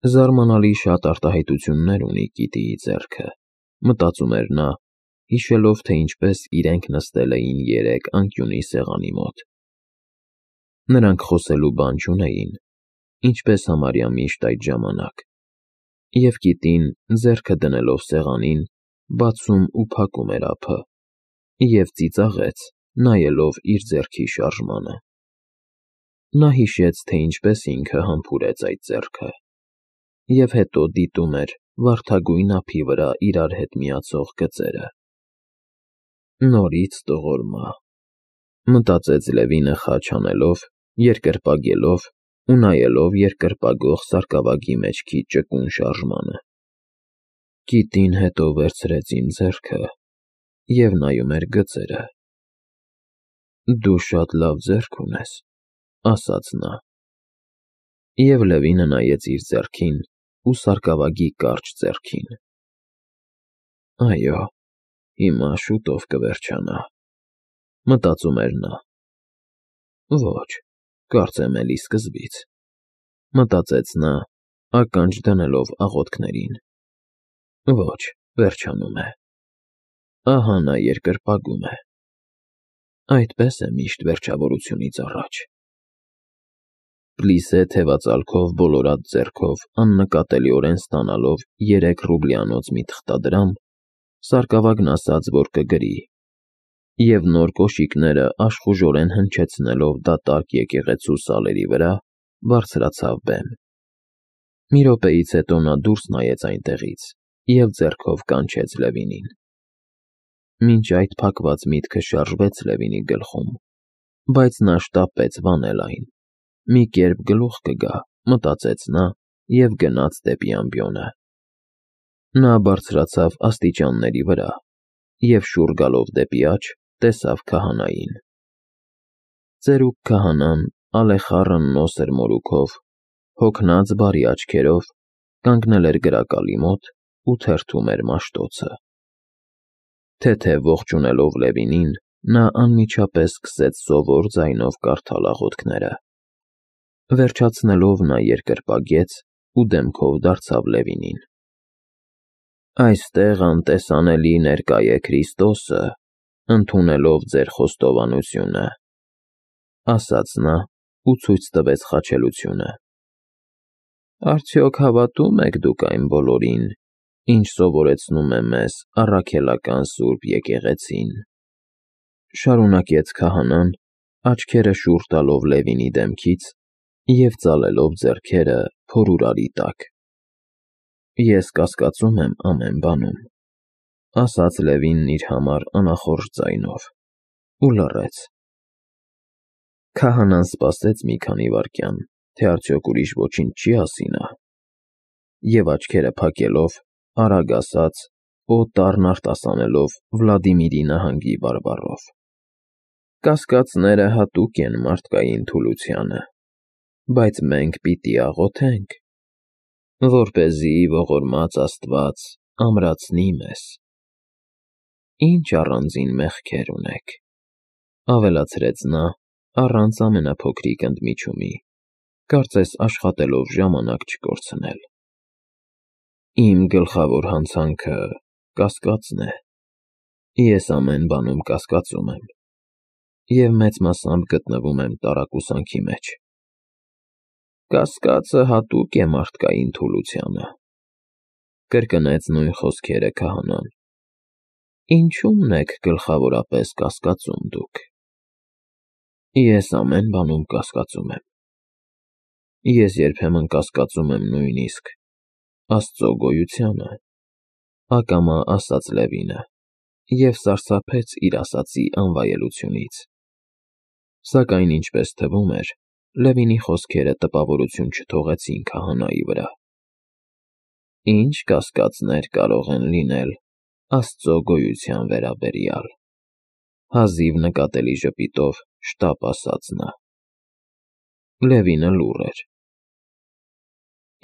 Զարմանալի շատ արտահայտություններ ունի Կիտիի ձեռքը, մտածում էր նա, հիշելով, թե ինչպես իրենք նստել էին երեկ անկյունի սեղանի մոտ։ Նրանք խոսելու բան չունեին, ինչպես համարյա միշտ այդ ժամանակ, և Կիտին, ձեռքը դնելով սեղանին, բացում ու փակում էր ափը, և ծիծաղեց, նայելով իր ձեռքի շարժմանը։ Նա հիշեց, թե ինչպես ինքը համբուրեց այդ ձեռքը, և հետո դիտում էր վարդագույն ափի վրա իրար հետ միացող գծերը։ Նորից տողորմա, մտածեց Լևինը խաչ անելով, երկրպագելով ու նայելով երկրպագող սարկավագի մեջքի ճկուն շարժմանը։ Կիտին հետո վերցրեց իմ ձեռքը և նայում էր գծերը։ Դու շատ լավ ձեռք ունես, ասաց նա։ Եվ Լևինը նայեց իր ձեռքին ու սարկավագի կարճ ձեռքին։ Այո, հիմա շուտով կվերջանա, մտածում էր նա։ Ոչ, կարծեմ էլի սկզբից, մտածեց նա, ականջ դնելով աղոթքներին։ Ոչ, վերջանում է։ Ահա նա երկրպագում է։ Այդպես է միշտ վերջավորությունից առաջ։ Պլիսե թևածալքով բոլորած ձեռքով աննկատելիորեն ստանալով 3 ռուբլյանոց մի թղթադրամ, սարկավագն ասաց, որ կգրի, և նոր կոշիկները աշխուժորեն հնչեցնելով դատարկ եկեղեցու սալերի վրա, բարձրացավ բեմ։ Մի րոպեից հետո նա դուրս նայեց այնտեղից և ձեռքով կանչեց Լևինին։ Մինչ այդ փակված միտքը շարժվեց Լևինի գլխում, բայց նա շտապեց վանել այն։ Մի կերպ գլուխ կգա, մտածեց նա և գնաց դեպի ամբիոնը։ Նա բարձրացավ աստիճանների վրա և շուռ գալով դեպի աջ, տեսավ քահանային։ Ծերուկ քահանան, ալեխառն նոսր մորուքով, հոգնած բարի աչքերով, կանգնել էր գրակալի մոտ ու թերթում էր Մաշտոցը։ Թեթև ողջունելով Լևինին, նա անմիջապես սկսեց սովոր ձայնով կարդալ աղոթքները։ Վերջացնելով նա երկրպագեց ու դեմքով դարձավ Լևինին։ Այստեղ անտեսանելի ներկա է Քրիստոսը, ընդունելով ձեր խոստովանությունը, ասաց նա ու ցույց տվեց խաչելությունը։ Արդյոք հավատում եք դուք այն բոլորին, ինչ սովորեցնում է մեզ առաքելական Սուրբ Եկեղեցին, շարունակեց քահանան, աչքերը շուռ տալով Լևինի դեմքից և ծալելով ձեռքերը փորուրարի տակ։ Ես կասկածում եմ ամեն բանում, ասաց Լևինն իր համար անախորժ ձայնով ու լռեց։ Քահանան սպասեց մի քանի վայրկյան, թե արդյոք ուրիշ ոչինչ չի ասի նա, և աչքերը փակելով, արագ ասաց, օտառն արտասանելով Վլադիմիրի նահանգի բարբառով. Կասկածները հատուկ են մարդկային թուլությանը, բայց մենք պիտի աղոթենք, որպեսզի ողորմած Աստված ամրացնի մեզ։ Ինչ առանձին մեղքեր ունեք, ավելացրեց նա, առանց ամենափոքրիկ ընդմիջումի, կարծես աշխատելով ժամանակ չկորցնել։ Իմ գլխավոր հանցանքը կասկածն է։ Ես ամեն բանում կասկածում եմ և մեծ մասամբ գտնվում եմ տարակուսանքի մեջ։ Կասկածը հատուկ է մարդկային թուլությանը, կրկնեց նույն խոսքերը քահանան։ Ինչու՞մն եք գլխավորապես կասկածում դուք։ Ես ամեն բանում կասկածում եմ։ Ես երբեմն կասկածում եմ նույնիսկ Աստծո գոյությանը, ակամա ասաց Լևինը և սարսափեց իր ասածի անվայելությունից։ Սակայն ինչպես թվում էր, Լևինի խոսքերը տպավորություն չթողեցին քահանայի վրա։ Ինչ կասկածներ կարող են լինել Աստծո գոյության վերաբերյալ, հազիվ նկատելի ժպիտով շտապ ասաց նա։ Լևինը լուռ էր։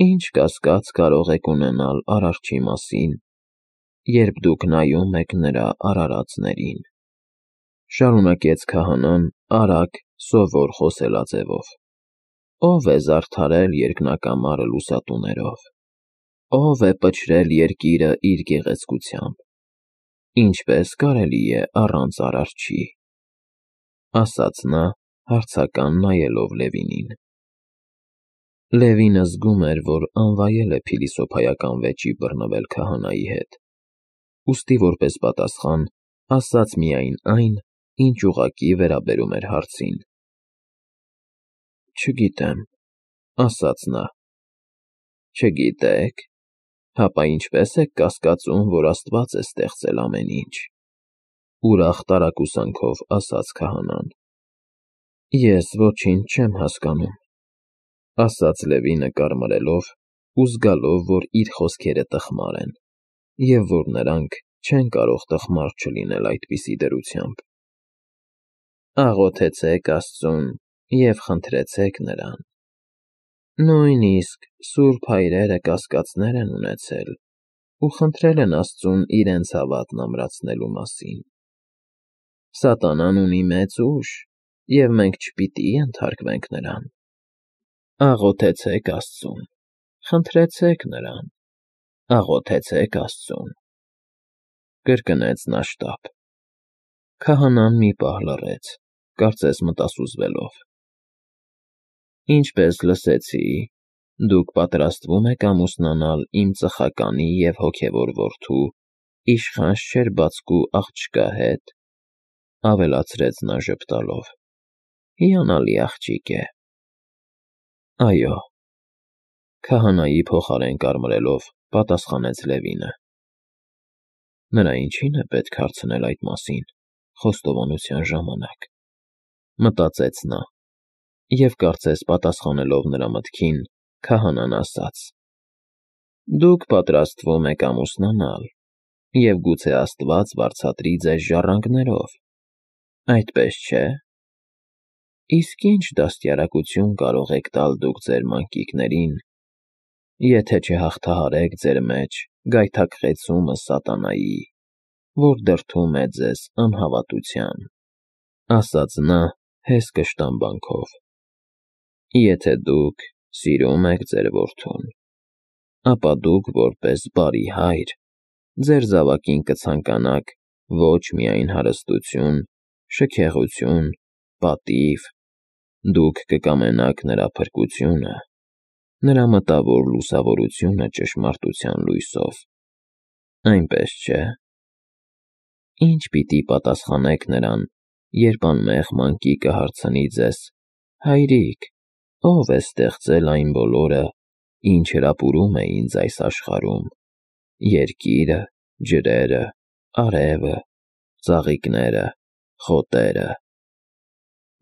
Ինչ կասկած կարող եք ունենալ Արարչի մասին, երբ դուք նայում եք նրա արարածներին, շարունակեց քահանան արագ, սովոր խոսելաձևով։ Ո՞վ է զարդարել երկնակամարը լուսատուներով, ո՞վ է պչրել երկիրը իր գեղեցկությամբ, ինչպես կարելի է առանց Արարչի, ասաց նա, հարցական նայելով Լևինին։ Լևինը զգում էր, որ անվայել է փիլիսոփայական վեճի բռնվել քահանայի հետ, ուստի որպես պատասխան ասաց միայն այն, ինչ ուղղակի վերաբերում էր հարցին։ Չգիտեմ, ասաց նա։ Չգիտեք, հապա ինչպես եք կասկածում, որ Աստված է ստեղծել ամեն ինչ, ուրախ տարակուսանքով ասաց քահանան։ Ես ոչինչ չեմ հասկանում, ասաց Լևինը կարմրելով ու զգալով, որ իր խոսքերը տխմար են, և որ նրանք չեն կարող տխմար չլինել այդպիսի դրությամբ։ Աղոթեցեք Աստծուն և խնդրեցեք նրան։ Նույնիսկ սուրբ հայրերը կասկածներ են ունեցել ու խնդրել են Աստծուն իրենց հավատն ամրացնելու մասին։ Սատանան ունի մեծ ուժ, և մենք չպիտի ենթարկվենք նրան։ Աղոթեցեք Աստծուն, խնդրեցեք նրան, աղոթեցեք Աստծուն, կրկնեց նա շտապ։ Քահանան մի պահ լռեց, կարծես մտասուզվելով։ Ինչպես լսեցի, դուք պատրաստվում եք ամուսնանալ իմ ծխականի և հոգևոր որդու, իշխան Շչերբածկու աղջկա հետ, ավելացրեց նա ժպտալով։ Հիանալի աղջիկ է։ Այո, քահանայի փոխարեն կարմրելով պատասխանեց Լևինը։ Նրա ինչի՞ն է պետք հարցնել այդ մասին խոստովանության ժամանակ, մտածեց նա, և կարծես պատասխանելով նրա մտքին, քահանան ասաց. Դուք պատրաստվում եք ամուսնանալ, և գուցե Աստված վարձատրի ձեզ ժառանգներով, այդպես չէ՞։ Իսկ ինչ դաստիարակություն կարող եք տալ դուք ձեր մանկիկներին, եթե չհաղթահարեք ձեր մեջ գայթակղեցումը սատանայի, որ դրդում է ձեզ անհավատության, ասաց նա հեսկը շտամբանքով։ Եթե դուք սիրում եք ձեր որդուն, ապա դուք որպես բարի հայր ձեր զավակին կցանկանաք ոչ միայն հարստություն, շքեղություն, պատիվ, դուք կկամենաք նրա փրկությունը, նրա մտավոր լուսավորությունը ճշմարտության լույսով, այնպես չէ։ Ինչ պիտի պատասխանեք նրան, երբ անմեղ մանկիկը հարցնի ձեզ. Հայրիկ, ո՞վ է ստեղծել այն բոլորը, ինչ հրապուրում է ինձ այս աշխարհում, երկիրը, ջրերը, արևը, ծաղիկները, խոտերը։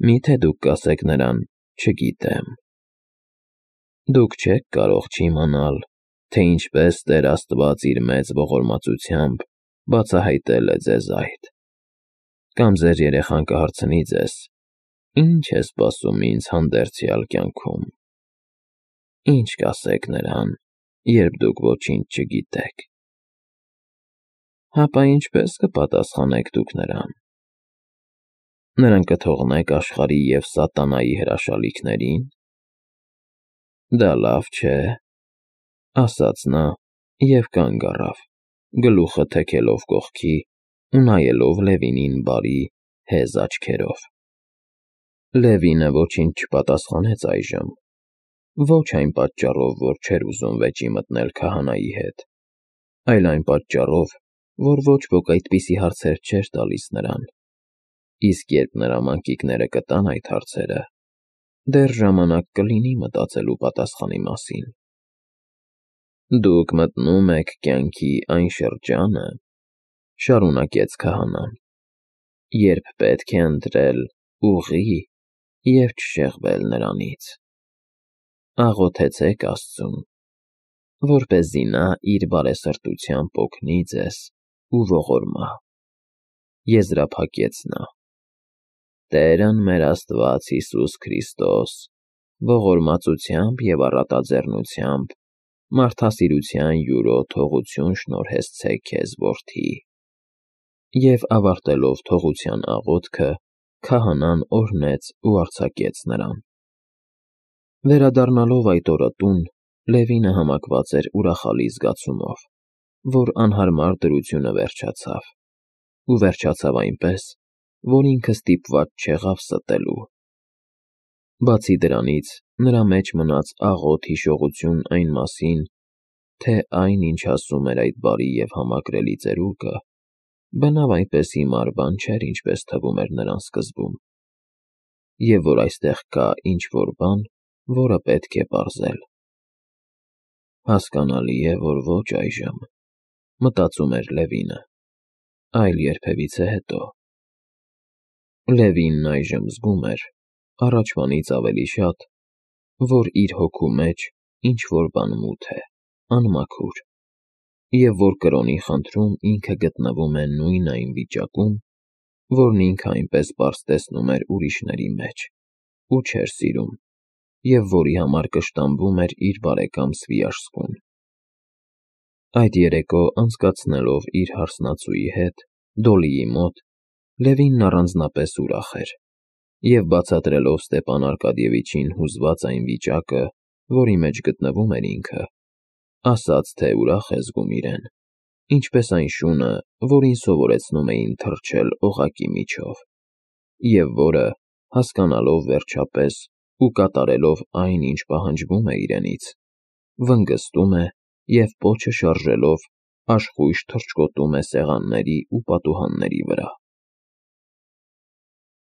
Միթե դուք կասեք նրան. չգիտեմ։ Դուք չեք կարող չիմանալ, թե ինչպես Տեր Աստված իր մեծ ողորմածությամբ բացահայտել է ձեզ այդ։ Կամ ձեր երեխան կհարցնի ձեզ. Ինչ է սպասում ինձ հանդերձյալ կյանքում։ Ինչ կասեք նրան, երբ դուք ոչինչ չգիտեք։ Հապա ինչպես կպատասխանեք դուք նրան։ Նրան կթողնեք աշխարհի և սատանայի հրաշալիքների՞ն։ Դա լավ չէ, ասաց նա և կանգ առավ, գլուխը թեքելով կողքի ու նայելով Լևինին բարի, հեզ աչքերով։ Լևինը ոչինչ չպատասխանեց այժմ, ոչ այն պատճառով, որ չէր ուզում վեճի մտնել քահանայի հետ, այլ այն պատճառով, որ ոչ ոք այդպիսի հարցեր չէր տալիս նրան, իսկ երբ նրա մանկիկները կտան այդ հարցերը, դեռ ժամանակ կլինի մտածելու պատասխանի մասին։ Դուք մտնում եք կյանքի այն շրջանը, շարունակեց քահանան, երբ պետք է ընտրել ուղի և չշեղվել նրանից։ Աղոթեցեք Աստծուն, որպեսզի նա իր բարեսրտությամբ օգնի ձեզ ու ողորմա։ Եզրափակեց նա։ Տերն մեր Աստված Հիսուս Քրիստոս ողորմածությամբ և առատաձեռնությամբ մարդասիրության յուրո թողություն շնորհեցցե քեզ, որդի։ Եվ ավարտելով թողության աղոթքը, քահանան օրհնեց ու արձակեց նրան։ Վերադառնալով այդ օրը տուն, Լևինը համակված էր ուրախալի զգացումով, որ անհարմար դրությունը վերջացավ, ու վերջացավ այնպես, որ ինքը ստիպված չեղավ ստելու։ Բացի դրանից, նրա մեջ մնաց աղոտ հիշողություն այն մասին, թե այն, ինչ ասում էր այդ բարի և համակրելի ծերուկը, բնավ այնպես հիմար բան չէր, ինչպես թվում էր նրան սկզբում, և որ այստեղ կա ինչ-որ բան, որը պետք է պարզել։ Հասկանալի է, որ ոչ այժմ, մտածում էր Լևինը, այլ երբևիցե հետո։ Լևինն այժմ զգում էր, առաջվանից ավելի շատ, որ իր հոգու մեջ ինչ-որ բան մութ է, անմաքուր, և որ կրոնի խնդրում ինքը գտնվում է նույն այն վիճակում, որն ինքը այնպես պարզ տեսնում էր ուրիշների մեջ, ու չէր սիրում, և որի համար կշտամբում էր իր բարեկամ Սվիաշսկուն։ Այդ երեկո անցկացնելով իր հարսնացուի հետ, Դոլիի մոտ, Լևինն առանձնապես ուրախ էր, և բացատրելով Ստեպան Արկադիևիչին հուզված այն վիճակը, որի մեջ գտնվում էր ինքը, ասաց, թե ուրախ է զգում իրեն, ինչպես այն շունը, որին սովորեցնում էին թռչել օղակի միջով, և որը, հասկանալով վերջապես ու կատարելով այն, ինչ պահանջվում է իրենից, վնգստում է և պոչը շարժելով աշխույժ թռչկոտում է սեղանների ու պատուհանների վրա։